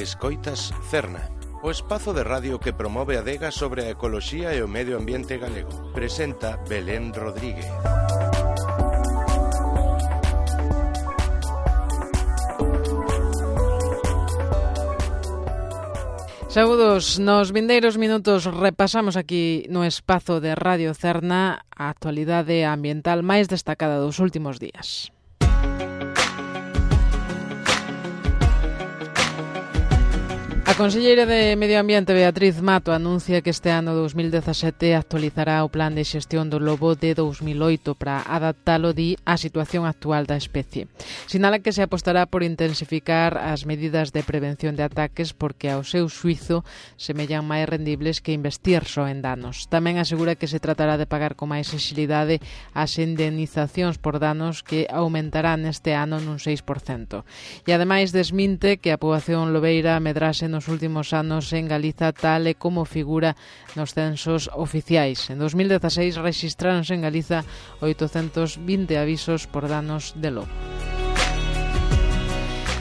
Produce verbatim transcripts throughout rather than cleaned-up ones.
Escoitas Cerna, o espazo de radio que promove a adega sobre a ecoloxía e o medio ambiente galego. Presenta Belén Rodríguez. Saúdos, nos vindeiros minutos repasamos aquí no espazo de Radio Cerna a actualidade ambiental máis destacada dos últimos días. A conselleira de Medio Ambiente, Beatriz Mato, anuncia que este ano dous mil dezasete actualizará o plan de xestión do lobo de dous mil oito para adaptalo, di, á situación actual da especie. Sinala que se apostará por intensificar as medidas de prevención de ataques porque, ao seu xuizo, semellan máis rendibles que investir só en danos. Tamén asegura que se tratará de pagar con máis exilidade as indemnizacións por danos que aumentarán este ano nun seis por cento. E ademais desminte que a poboación lobeira medrase nos últimos anos en Galiza tal e como figura nos censos oficiais. En dos mil dezaseis rexistráronse en Galiza oitocentos vinte avisos por danos de lobo.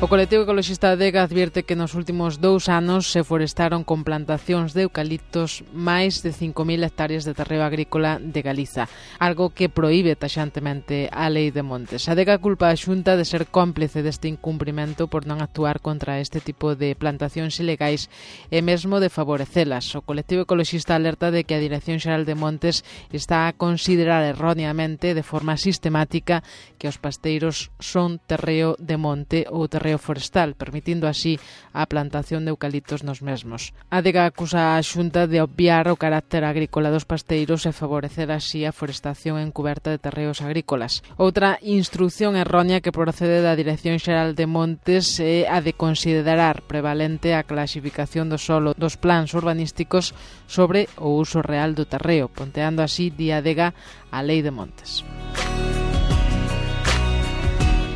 O colectivo ecoloxista Adega advierte que nos últimos dous anos se forestaron con plantacións de eucaliptos máis de cinco mil hectáreas de terreo agrícola de Galiza, algo que proíbe taxantemente a Lei de Montes. Adega culpa a Xunta de ser cómplice deste incumprimento por non actuar contra este tipo de plantacións ilegais e mesmo de favorecelas. O colectivo ecoloxista alerta de que a Dirección Xeral de Montes está a considerar erróneamente de forma sistemática que os pasteiros son terreo de monte ou terreo forestal, permitindo así a plantación de eucaliptos nos mesmos. A Adega acusa a Xunta de obviar o carácter agrícola dos pasteiros e favorecer así a forestación encuberta de terreos agrícolas. Outra instrucción errónea que procede da Dirección Xeral de Montes é a de considerar prevalente a clasificación do solo dos plans urbanísticos sobre o uso real do terreo, ponteando así, di Adega, a Lei de Montes.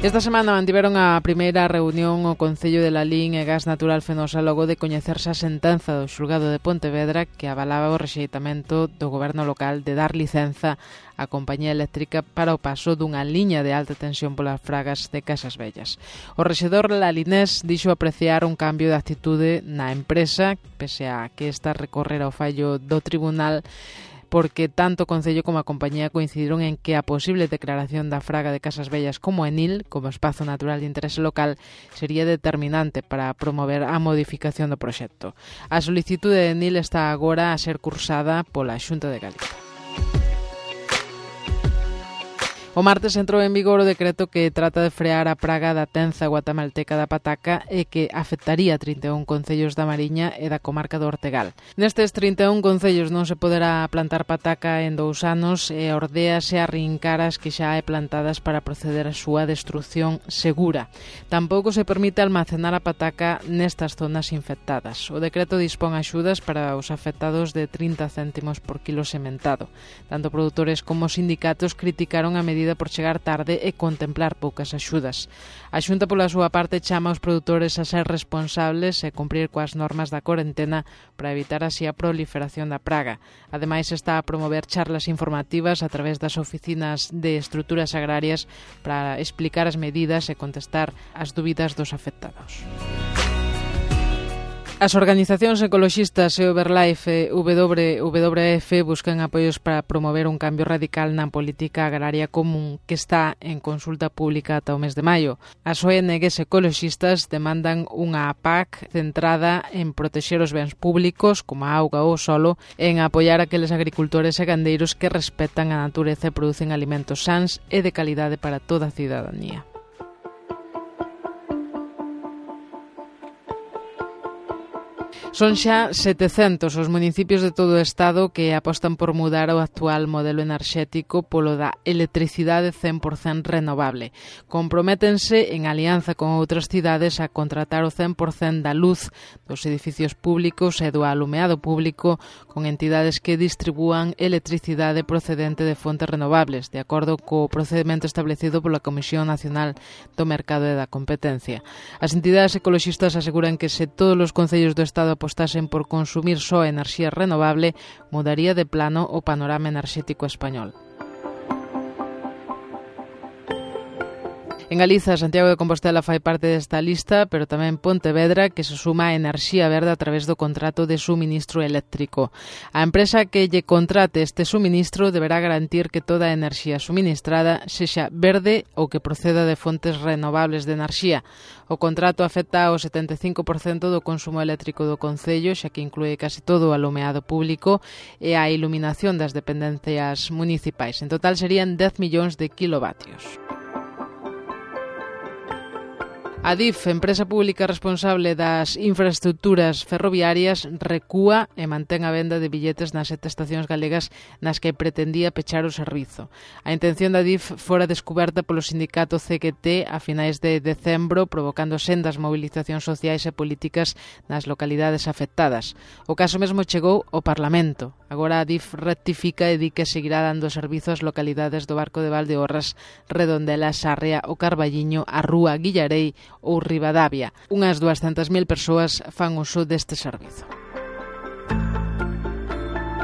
Esta semana mantiveron a primeira reunión o Concello de Lalín e Gas Natural Fenosa logo de coñecerse a sentenza do xulgado de Pontevedra que avalaba o rexeitamento do goberno local de dar licenza á compañía eléctrica para o paso dunha liña de alta tensión polas fragas de Casas Vellas. O rexedor lalinés dixo apreciar un cambio de actitude na empresa, pese a que esta recorrera o fallo do tribunal, porque tanto o Concello como a compañía coincidiron en que a posible declaración da fraga de Casas Vellas como Enil, como espazo natural de interese local, sería determinante para promover a modificación do proxecto. A solicitude de Enil está agora a ser cursada pola Xunta de Galicia. O martes entrou en vigor o decreto que trata de frear a praga da tenza guatemalteca da pataca e que afectaría trinta e un concellos da Mariña e da comarca do Ortegal. Nestes trinta e un concellos non se poderá plantar pataca en dous anos e ordéase a arrincar as que xa hai plantadas para proceder a súa destrucción segura. Tampouco se permite almacenar a pataca nestas zonas infectadas. O decreto dispón axudas para os afectados de trinta céntimos por kilo sementado. Tanto produtores como sindicatos criticaron a medida por chegar tarde e contemplar poucas axudas. A Xunta, pola súa parte, chama aos produtores a ser responsables e cumprir coas normas da corentena para evitar así a proliferación da praga. Ademais, está a promover charlas informativas a través das oficinas de estruturas agrarias para explicar as medidas e contestar as dúbidas dos afectados. As organizacións ecoloxistas e o Verlife e W W F buscan apoios para promover un cambio radical na política agraria común que está en consulta pública ata o mes de maio. As O N Gs ecoloxistas demandan unha P A C centrada en protexer os bens públicos, como a auga ou o solo, e en apoiar aqueles agricultores e gandeiros que respetan a natureza e producen alimentos sans e de calidade para toda a cidadanía. Son xa setecentos os municipios de todo o Estado que apostan por mudar o actual modelo enerxético polo da electricidade cen por cento renovable. Comprométense en alianza con outras cidades a contratar o cen por cento da luz dos edificios públicos e do alumeado público con entidades que distribúan electricidade procedente de fontes renovables, de acordo co procedimento establecido pola Comisión Nacional do Mercado e da Competencia. As entidades ecoloxistas aseguran que se todos os concellos do Estado apostasen por consumir só enerxía renovable, mudaría de plano o panorama enerxético español. En Galiza, Santiago de Compostela fai parte desta lista, pero tamén Pontevedra, que se suma a enerxía verde a través do contrato de suministro eléctrico. A empresa que lle contrate este suministro deberá garantir que toda a enerxía suministrada sexa verde ou que proceda de fontes renovables de enerxía. O contrato afecta ao setenta e cinco por cento do consumo eléctrico do concello, xa que inclúe case todo o alumeado público e a iluminación das dependencias municipais. En total serían dez millóns de kilovatios. A DIF, empresa pública responsable das infraestructuras ferroviarias, recúa e mantén a venda de billetes nas sete estacións galegas nas que pretendía pechar o servizo. A intención da DIF fora descuberta polo sindicato C G T a finais de decembro, provocando sendas movilizacións sociais e políticas nas localidades afectadas. O caso mesmo chegou ao Parlamento. Agora a DIF rectifica e di que seguirá dando servizo ás localidades do Barco de Valdeorras, Redondela, Sarria, o Carballiño, a Rúa, Guillarei ou Ribadavia. Unhas duascentas mil persoas fan uso deste servizo.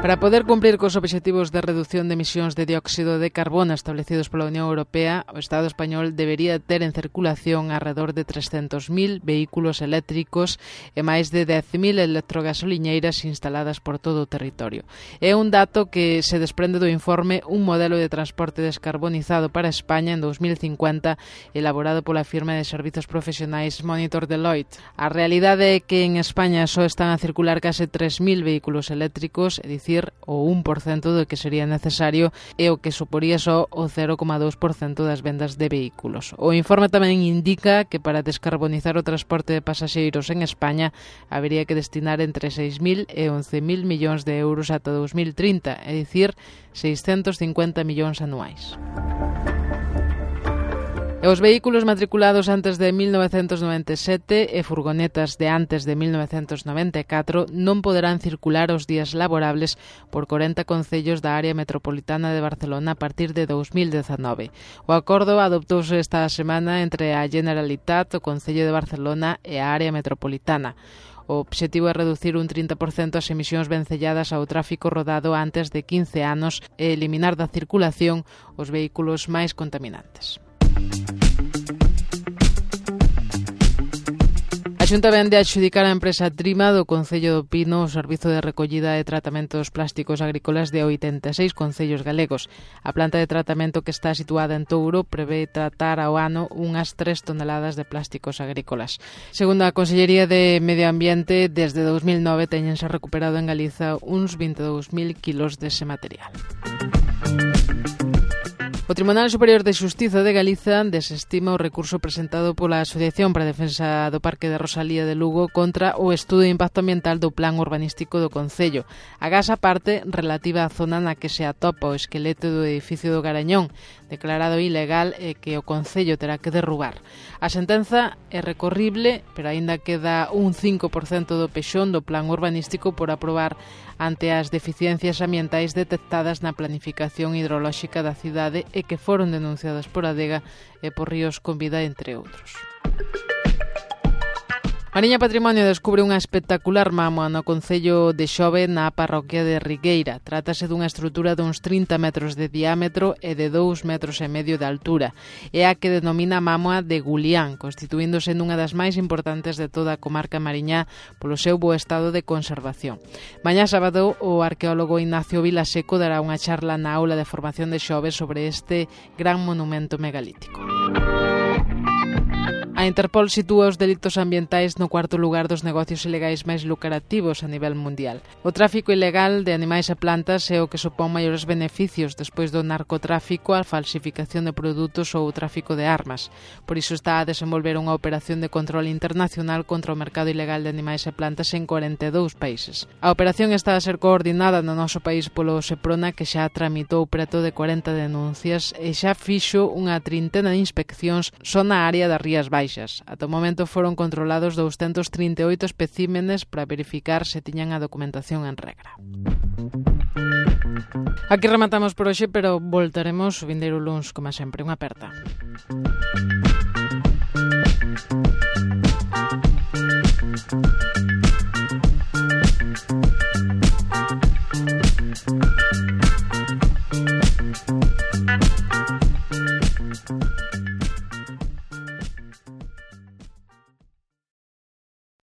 Para poder cumprir cos obxectivos de reducción de emisións de dióxido de carbono establecidos pola Unión Europea, o Estado español debería ter en circulación alrededor de trescentos mil vehículos eléctricos e máis de dez mil electrogasoliñeiras instaladas por todo o territorio. É un dato que se desprende do informe Un modelo de transporte descarbonizado para España en dous mil cincuenta, elaborado pola firma de servizos profesionais Monitor Deloitte. A realidade é que en España só están a circular case tres mil vehículos eléctricos, é dicir, o un por cento do que sería necesario e o que suporía só o cero coma dous por cento das vendas de vehículos. O informe tamén indica que para descarbonizar o transporte de pasaxeiros en España habería que destinar entre seis mil e once mil millóns de euros ata dous mil trinta, é dicir, seiscentos cincuenta millóns anuais. E os vehículos matriculados antes de mil novecentos noventa e sete e furgonetas de antes de mil novecentos noventa e catro non poderán circular os días laborables por corenta concellos da área metropolitana de Barcelona a partir de dous mil dezanove. O acordo adoptouse esta semana entre a Generalitat, o Concello de Barcelona e a área metropolitana. O obxectivo é reducir un trinta por cento as emisións vencelladas ao tráfico rodado antes de quince anos e eliminar da circulación os vehículos máis contaminantes. A Xunta vende a adxudicar a empresa Trima do Concello do Pino o servizo de recollida e tratamento dos plásticos agrícolas de oitenta e seis concellos galegos. A planta de tratamento, que está situada en Touro, prevé tratar ao ano unhas tres toneladas de plásticos agrícolas. Segundo a Consellería de Medio Ambiente, desde dous mil nove teñense recuperado en Galiza uns vinte e dous mil kilos dese material. O Tribunal Superior de Xustiza de Galiza desestima o recurso presentado pola Asociación para a Defensa do Parque de Rosalía de Lugo contra o estudo de impacto ambiental do Plan Urbanístico do Concello. Agás a parte relativa á zona na que se atopa o esqueleto do edificio do Garañón, declarado ilegal e que o Concello terá que derrubar. A sentenza é recorrible, pero aínda queda un cinco por cento do pexón do Plan Urbanístico por aprobar ante as deficiencias ambientais detectadas na planificación hidrolóxica da cidade e que foron denunciadas por Adega e por Ríos con Vida, entre outros. Mariña Patrimonio descubre unha espectacular mámoa no concello de Xove, na parroquia de Rigueira. Trátase dunha estrutura duns trinta metros de diámetro e de dous metros e medio de altura. É a que denomina mámoa de Gulián, constituíndose nunha das máis importantes de toda a comarca mariñá polo seu bo estado de conservación. Mañá sábado, o arqueólogo Ignacio Vilaseco dará unha charla na aula de formación de Xove sobre este gran monumento megalítico. A Interpol sitúa os delitos ambientais no cuarto lugar dos negocios ilegais máis lucrativos a nivel mundial. O tráfico ilegal de animais e plantas é o que supón maiores beneficios despois do narcotráfico, a falsificación de produtos ou o tráfico de armas. Por iso está a desenvolver unha operación de control internacional contra o mercado ilegal de animais e plantas en corenta e dous países. A operación está a ser coordinada no noso país polo Seprona, que xa tramitou preto de corenta denuncias e xa fixo unha trintena de inspeccións só na área das Rías Baixas. Ata o momento foron controlados douscentos trinta e oito especímenes para verificar se tiñan a documentación en regra. Aquí rematamos por hoxe, pero voltaremos o vindeiro luns, como sempre. Unha aperta.